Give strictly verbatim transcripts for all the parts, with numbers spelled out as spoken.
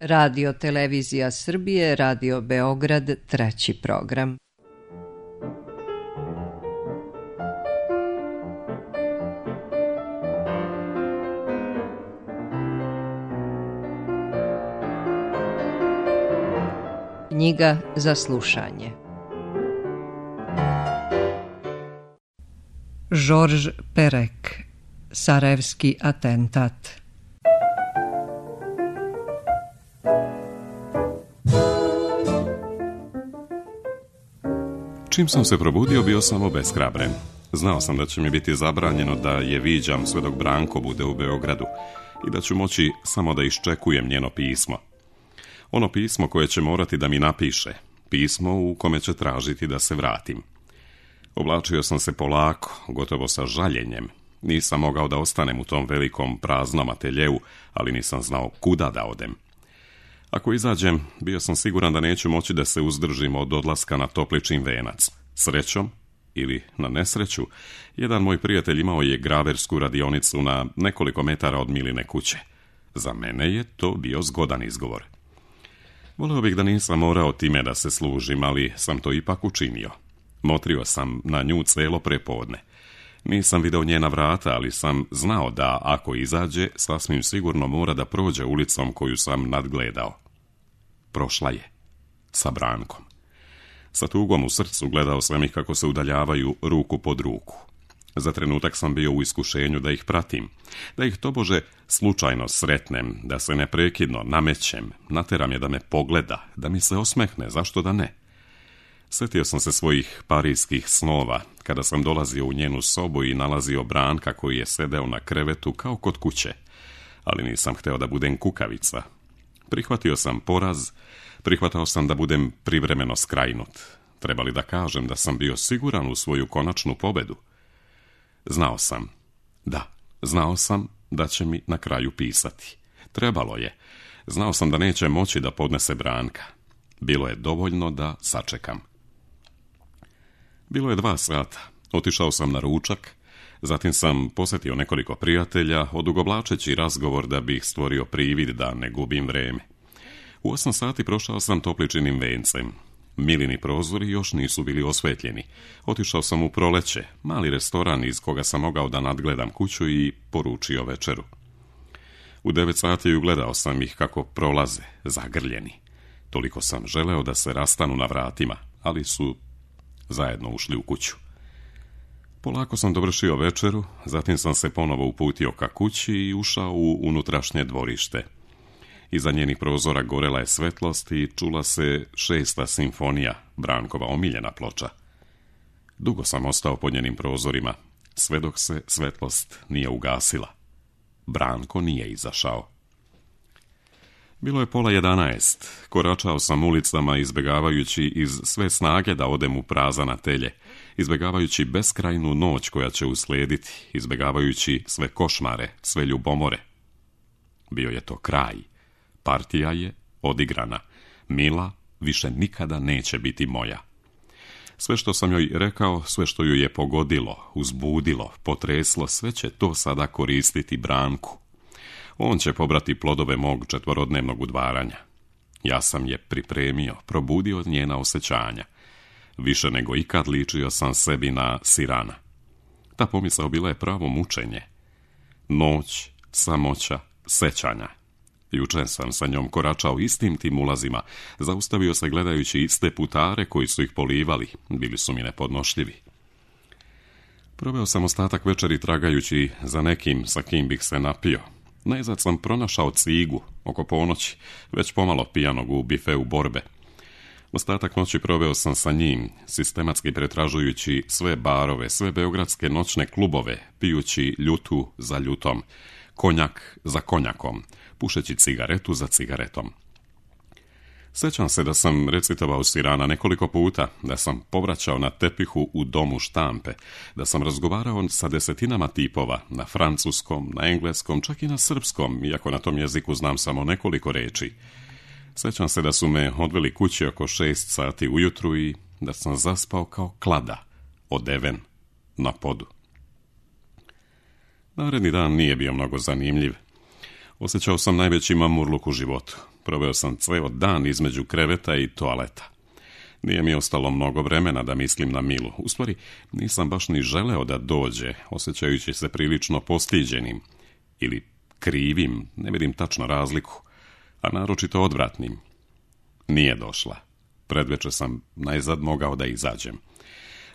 Radio Televizija Srbije, Radio Beograd, treći program. Knjiga za slušanje. Žorž Perek, Sarajevski atentat. Čim sam se probudio, bio sam obeshrabren. Znao sam da će mi biti zabranjeno da je viđam sve dok Branko bude u Beogradu i da ću moći samo da iščekujem njeno pismo. Ono pismo koje će morati da mi napiše, pismo u kome će tražiti da se vratim. Oblačio sam se polako, gotovo sa žaljenjem. Nisam mogao da ostanem u tom velikom praznom ateljeu, ali nisam znao kuda da odem. Ako izađem, bio sam siguran da neću moći da se uzdržim od odlaska na Topličin venac. Srećom, ili na nesreću, jedan moj prijatelj imao je graversku radionicu na nekoliko metara od Miline kuće. Za mene je to bio zgodan izgovor. Voleo bih da nisam morao time da se služim, ali sam to ipak učinio. Motrio sam na nju celo prepodne. Nisam video njena vrata, ali sam znao da ako izađe, sasvim sigurno mora da prođe ulicom koju sam nadgledao. Prošla je. Sa Brankom. Sa tugom u srcu gledao sam ih kako se udaljavaju ruku pod ruku. Za trenutak sam bio u iskušenju da ih pratim, da ih tobože slučajno sretnem, da se neprekidno namećem, nateram je da me pogleda, da mi se osmehne, zašto da ne? Sjetio sam se svojih parijskih snova, kada sam dolazio u njenu sobu i nalazio Branka koji je sedeo na krevetu kao kod kuće, ali nisam hteo da budem kukavica. Prihvatio sam poraz, prihvatao sam da budem privremeno skrajnut. Treba li da kažem da sam bio siguran u svoju konačnu pobedu? Znao sam, da, znao sam da će mi na kraju pisati. Trebalo je. Znao sam da neće moći da podnese Branka. Bilo je dovoljno da sačekam. Bilo je dva sata. Otišao sam na ručak, zatim sam posjetio nekoliko prijatelja, odugovlačeći razgovor da bih stvorio privid da ne gubim vreme. U osam sati prošao sam Topličinim vencem. Milini prozori još nisu bili osvetljeni. Otišao sam u Proleće, mali restoran iz koga sam mogao da nadgledam kuću i poručio večeru. U devet sati ugledao sam ih kako prolaze, zagrljeni. Toliko sam želeo da se rastanu na vratima, ali su zajedno ušli u kuću. Polako sam dovršio večeru, zatim sam se ponovo uputio ka kući i ušao u unutrašnje dvorište. Iza njenih prozora gorela je svetlost i čula se šesta simfonija, Brankova omiljena ploča. Dugo sam ostao pod njenim prozorima, sve dok se svetlost nije ugasila. Branko nije izašao. Bilo je pola jedanaest. Koračao sam ulicama izbjegavajući iz sve snage da odem u prazan atelje, izbjegavajući beskrajnu noć koja će uslijediti, izbjegavajući sve košmare, sve ljubomore. Bio je to kraj. Partija je odigrana. Mila više nikada neće biti moja. Sve što sam joj rekao, sve što ju je pogodilo, uzbudilo, potreslo, sve će to sada koristiti Branku. On će pobrati plodove mog četvorodnevnog udvaranja. Ja sam je pripremio, probudio njena osjećanja. Više nego ikad ličio sam sebi na Sirana. Ta pomisao bila je pravo mučenje. Noć, samoća, sećanja. Juče sam sa njom koračao istim tim ulazima, zaustavio se gledajući iste putare koji su ih polivali, bili su mi nepodnošljivi. Proveo sam ostatak večeri tragajući za nekim sa kim bih se napio. Najzad sam pronašao Cigu, oko ponoći, već pomalo pijanog u bifeu Borbe. Ostatak noći proveo sam sa njim, sistematski pretražujući sve barove, sve beogradske noćne klubove, pijući ljutu za ljutom, konjak za konjakom, pušeći cigaretu za cigaretom. Sjećam se da sam recitovao Sirana nekoliko puta, da sam povraćao na tepihu u domu štampe, da sam razgovarao sa desetinama tipova, na francuskom, na engleskom, čak i na srpskom, iako na tom jeziku znam samo nekoliko reči. Sjećam se da su me odveli kući oko šest sati ujutru i da sam zaspao kao klada, odeven, na podu. Naredni dan nije bio mnogo zanimljiv. Osjećao sam najveći mamurluk u životu. Proveo sam ceo dan između kreveta i toaleta. Nije mi ostalo mnogo vremena da mislim na Milu. U stvari, nisam baš ni želeo da dođe, osjećajući se prilično postiđenim. Ili krivim, ne vidim tačno razliku, a naročito odvratnim. Nije došla. Predveče sam najzad mogao da izađem.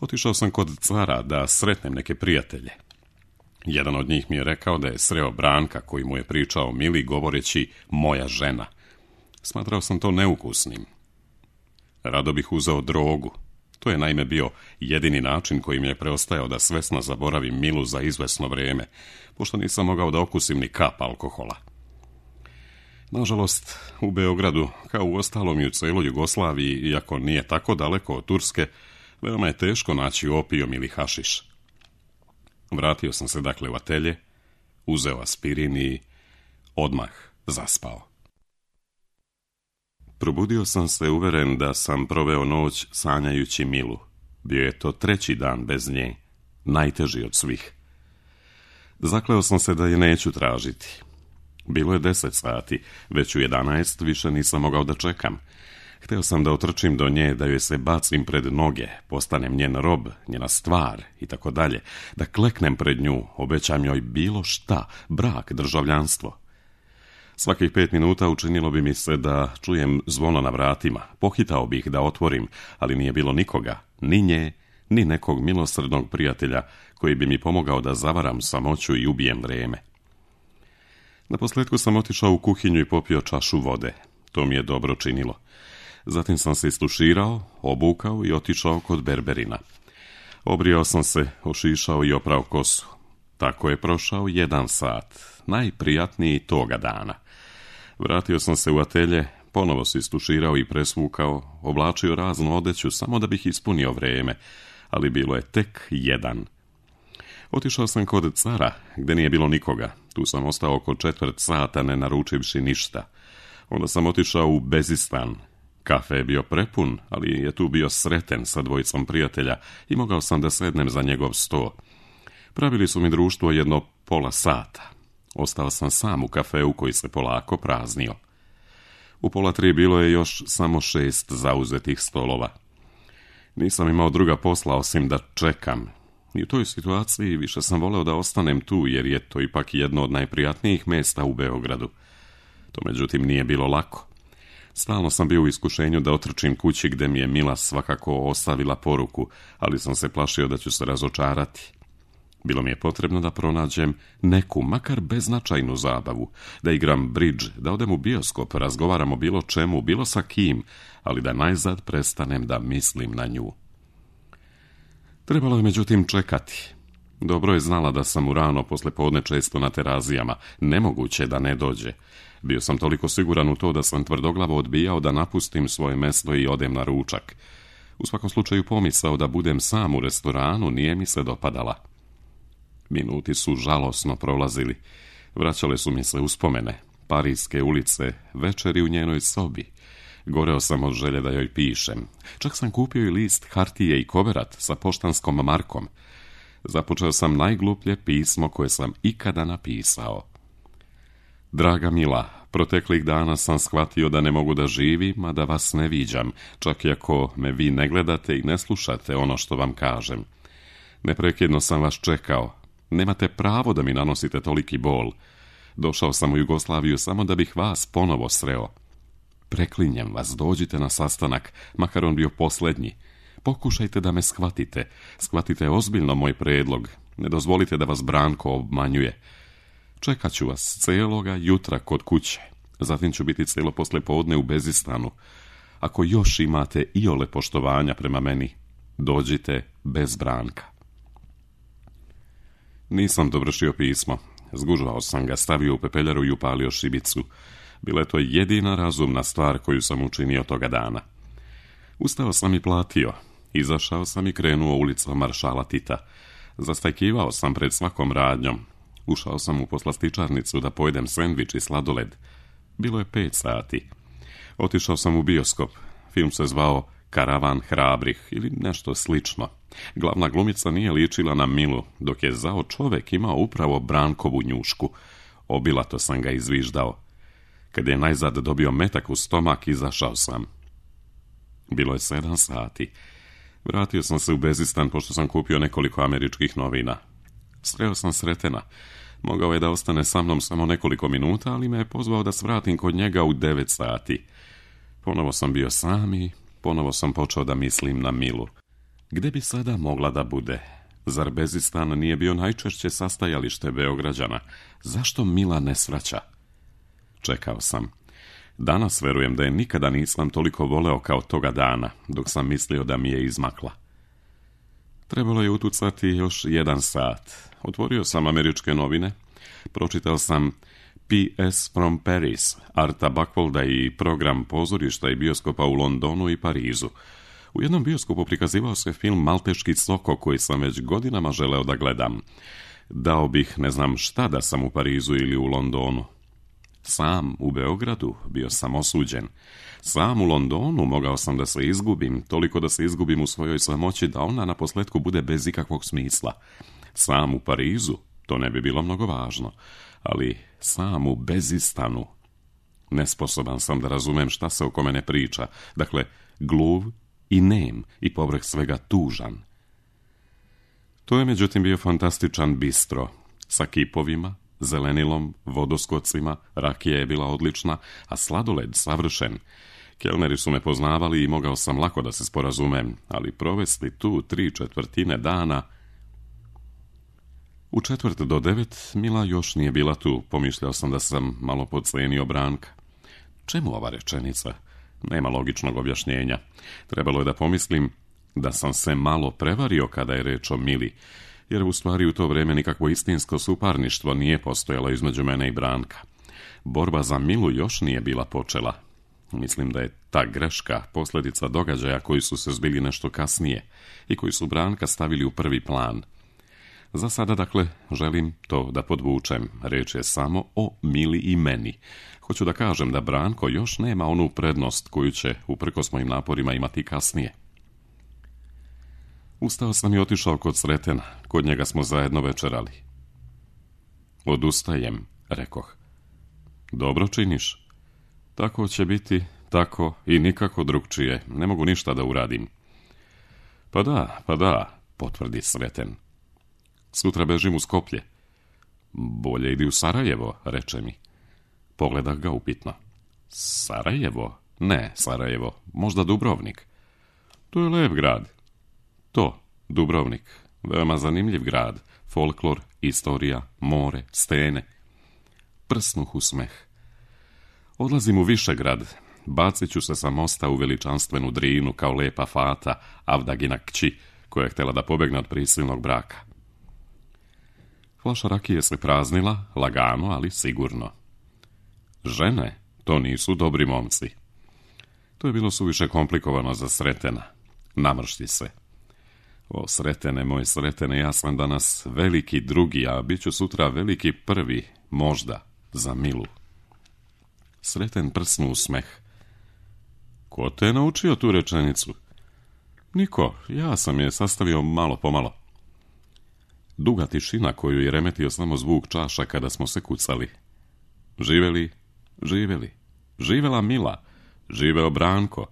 Otišao sam kod cara da sretnem neke prijatelje. Jedan od njih mi je rekao da je sreo Branka koji mu je pričao Mili govoreći moja žena. Smatrao sam to neukusnim. Rado bih uzeo drogu. To je naime bio jedini način koji mi je preostajao da svesno zaboravim Milu za izvesno vrijeme, pošto nisam mogao da okusim ni kap alkohola. Nažalost, u Beogradu, kao u ostalom i u celoj Jugoslaviji, iako nije tako daleko od Turske, veoma je teško naći opijom ili hašiš. Vratio sam se dakle u atelje, uzeo aspirin i odmah zaspao. Probudio sam se uveren da sam proveo noć sanjajući Milu. Bio je to treći dan bez nje, najteži od svih. Zakleo sam se da je neću tražiti. Bilo je deset sati, već u jedanaest više nisam mogao da čekam. Hteo sam da otrčim do nje, da joj se bacim pred noge, postanem njen rob, njena stvar i tako dalje, da kleknem pred nju, obećam joj bilo šta, brak, državljanstvo. Svakih pet minuta učinilo bi mi se da čujem zvono na vratima. Pohitao bih da otvorim, ali nije bilo nikoga, ni nje, ni nekog milosrdnog prijatelja koji bi mi pomogao da zavaram samoću i ubijem vreme. Naposletku sam otišao u kuhinju i popio čašu vode. To mi je dobro činilo. Zatim sam se istuširao, obukao i otišao kod berberina. Obrijao sam se, ošišao i oprao kosu. Tako je prošao jedan sat, najprijatniji toga dana. Vratio sam se u atelje, ponovo se istuširao i presvukao, oblačio raznu odeću samo da bih ispunio vreme, ali bilo je tek jedan. Otišao sam kod cara, gde nije bilo nikoga. Tu sam ostao oko četvrt sata, ne naručivši ništa. Onda sam otišao u Bezistan. Kafe je bio prepun, ali je tu bio Sreten sa dvojicom prijatelja i mogao sam da sednem za njegov sto. Pravili su mi društvo jedno pola sata. Ostao sam sam u kafeu koji se polako praznio. U pola tri bilo je još samo šest zauzetih stolova. Nisam imao druga posla osim da čekam. I u toj situaciji više sam voleo da ostanem tu, jer je to ipak jedno od najprijatnijih mesta u Beogradu. To međutim nije bilo lako. Stalno sam bio u iskušenju da otrčim kući gde mi je Mila svakako ostavila poruku, ali sam se plašio da ću se razočarati. Bilo mi je potrebno da pronađem neku, makar beznačajnu zabavu, da igram bridge, da odem u bioskop, razgovaram o bilo čemu, bilo sa kim, ali da najzad prestanem da mislim na nju. Trebalo je međutim čekati. Dobro je znala da sam u rano posle podne često na terazijama, nemoguće da ne dođe. Bio sam toliko siguran u to da sam tvrdoglavo odbijao da napustim svoje mesto i odem na ručak. U svakom slučaju pomisao da budem sam u restoranu nije mi se dopadala. Minuti su žalosno prolazili. Vraćale su mi se uspomene. Parijske ulice, večeri u njenoj sobi. Goreo sam od želje da joj pišem. Čak sam kupio i list hartije i koverat sa poštanskom markom. Započeo sam najgluplje pismo koje sam ikada napisao. Draga Mila, proteklih dana sam shvatio da ne mogu da živim, a da vas ne viđam, čak i ako me vi ne gledate i ne slušate ono što vam kažem. Neprekidno sam vas čekao. Nemate pravo da mi nanosite toliki bol. Došao sam u Jugoslaviju samo da bih vas ponovo sreo. Preklinjem vas, dođite na sastanak, makar on bio posljednji. Pokušajte da me shvatite. Shvatite ozbiljno moj predlog. Ne dozvolite da vas Branko obmanjuje. Čekat ću vas celoga jutra kod kuće. Zatim ću biti celo poslijepodne u Bezistanu. Ako još imate iole poštovanja prema meni, dođite bez Branka. Nisam dovršio pismo. Zgužvao sam ga, stavio u pepeljaru i upalio šibicu. Bila je to jedina razumna stvar koju sam učinio toga dana. Ustao sam i platio. Izašao sam i krenuo ulicom Maršala Tita. Zastajkivao sam pred svakom radnjom. Ušao sam u poslastičarnicu da pojedem sendvič i sladoled. Bilo je pet sati. Otišao sam u bioskop. Film se zvao Karavan hrabrih ili nešto slično. Glavna glumica nije ličila na Milu, dok je zao čovek imao upravo Brankovu njušku. Obilato sam ga izviždao. Kad je najzad dobio metak u stomak, izašao sam. Bilo je sedam sati. Vratio sam se u Bezistan pošto sam kupio nekoliko američkih novina. Sreo sam Sretena. Mogao je da ostane sa mnom samo nekoliko minuta, ali me je pozvao da svratim kod njega u devet sati. Ponovo sam bio sam i ponovo sam počeo da mislim na Milu. Gde bi sada mogla da bude? Zar Bezistan nije bio najčešće sastajalište Beograđana? Zašto Mila ne svraća? Čekao sam. Danas verujem da je nikada nisam toliko voleo kao toga dana, dok sam mislio da mi je izmakla. Trebalo je utucati još jedan sat. Otvorio sam američke novine, pročitao sam P S from Paris, Arta Buckwalda i program pozorišta i bioskopa u Londonu i Parizu. U jednom bioskopu prikazivao se film Malteški Soko, koji sam već godinama želeo da gledam. Dao bih ne znam šta da sam u Parizu ili u Londonu. Sam u Beogradu bio sam osuđen. Sam u Londonu mogao sam da se izgubim, toliko da se izgubim u svojoj samoći da ona na posletku bude bez ikakvog smisla. Sam u Parizu, to ne bi bilo mnogo važno, ali sam u Bezistanu. Nesposoban sam da razumem šta se oko mene priča, dakle, gluv i nem i povrh svega tužan. To je međutim bio fantastičan bistro, sa kipovima, zelenilom, vodoskocima, rakija je bila odlična, a sladoled savršen. Kelneri su me poznavali i mogao sam lako da se sporazumem, ali provesti tu tri četvrtine dana... U četvrt do devet Mila još nije bila tu, pomišljao sam da sam malo podcenio Branka. Čemu ova rečenica? Nema logičnog objašnjenja. Trebalo je da pomislim da sam se malo prevario kada je reč o Mili, jer u stvari u to vreme nikakvo istinsko suparništvo nije postojalo između mene i Branka. Borba za Milu još nije bila počela. Mislim da je ta greška posljedica događaja koji su se zbili nešto kasnije i koji su Branka stavili u prvi plan. Za sada, dakle, želim to da podvučem. Reč je samo o Mili i meni. Hoću da kažem da Branko još nema onu prednost koju će, uprkos mojim naporima, imati kasnije. Ustao sam i otišao kod Sretena. Kod njega smo zajedno večerali. Odustajem, rekoh. Dobro činiš. Tako će biti, tako i nikako drugčije. Ne mogu ništa da uradim. Pa da, pa da, potvrdi Sreten. Sutra bežim u Skoplje. Bolje idi u Sarajevo, reče mi. Pogledah ga upitno. Sarajevo? Ne, Sarajevo. Možda Dubrovnik. To je lep grad. To, Dubrovnik. Veoma zanimljiv grad. Folklor, istorija, more, stene. Prsnuh u smeh. Odlazim u Višegrad. Bacit ću se sa mosta u veličanstvenu Drinu kao lepa fata Avdagina kći, koja je htjela da pobegne od prisilnog braka. Flaša rakije se praznila, lagano, ali sigurno. Žene, to nisu dobri momci. To je bilo suviše komplikovano za Sretena. Namršti se. O, Sretene, moj Sretene, ja sam danas veliki drugi, a bit ću sutra veliki prvi, možda, za Milu. Sreten prsnu u smeh. Ko te je naučio tu rečenicu? Niko, ja sam je sastavio malo po malo. Duga tišina koju je remetio samo zvuk čaša kada smo se kucali. Živeli, živeli, živela Mila, živeo Branko.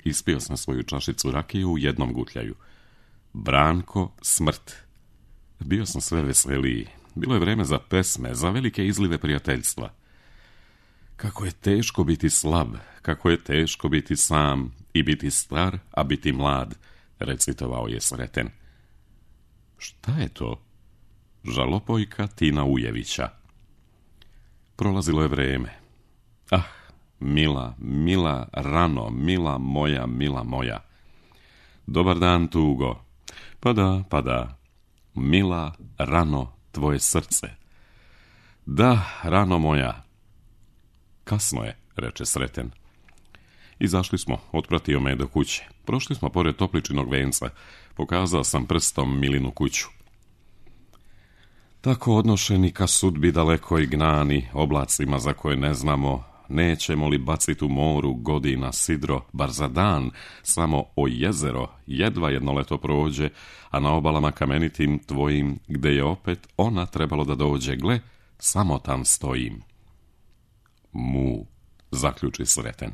Ispio sam svoju čašicu rakije u jednom gutljaju. Branko, smrt. Bio sam sve veseliji. Bilo je vreme za pesme, za velike izlive prijateljstva. Kako je teško biti slab, kako je teško biti sam i biti star, a biti mlad, recitovao je Sreten. Šta je to? Žalopojka Tina Ujevića. Prolazilo je vreme. Ah, Mila, Mila, rano, Mila moja, Mila moja. Dobar dan, tugo. Pa da, pa da. Mila, rano, tvoje srce. Da, rano moja. Kasno je, reče Sreten. Izašli smo, otpratio me do kuće. Prošli smo pored Topličinog venca. Pokazao sam prstom Milinu kuću. Tako odnošeni ka sudbi daleko i gnani, oblacima za koje ne znamo, nećemo li baciti u moru godina sidro, bar za dan, samo o jezero, jedva jedno leto prođe, a na obalama kamenitim tvojim, gde je opet ona trebalo da dođe, gle, samo tam stojim. Mu, zaključi Sreten.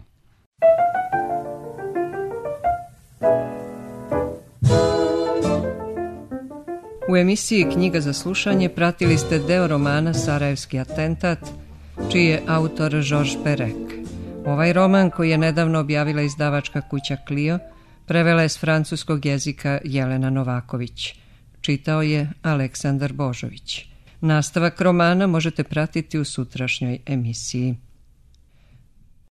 U emisiji Knjiga za slušanje pratili ste deo romana Sarajevski atentat, čiji je autor Georges Perec. Ovaj roman, koji je nedavno objavila izdavačka kuća Clio, prevela je s francuskog jezika Jelena Novaković. Čitao je Aleksandar Božović. Nastavak romana možete pratiti u sutrašnjoj emisiji.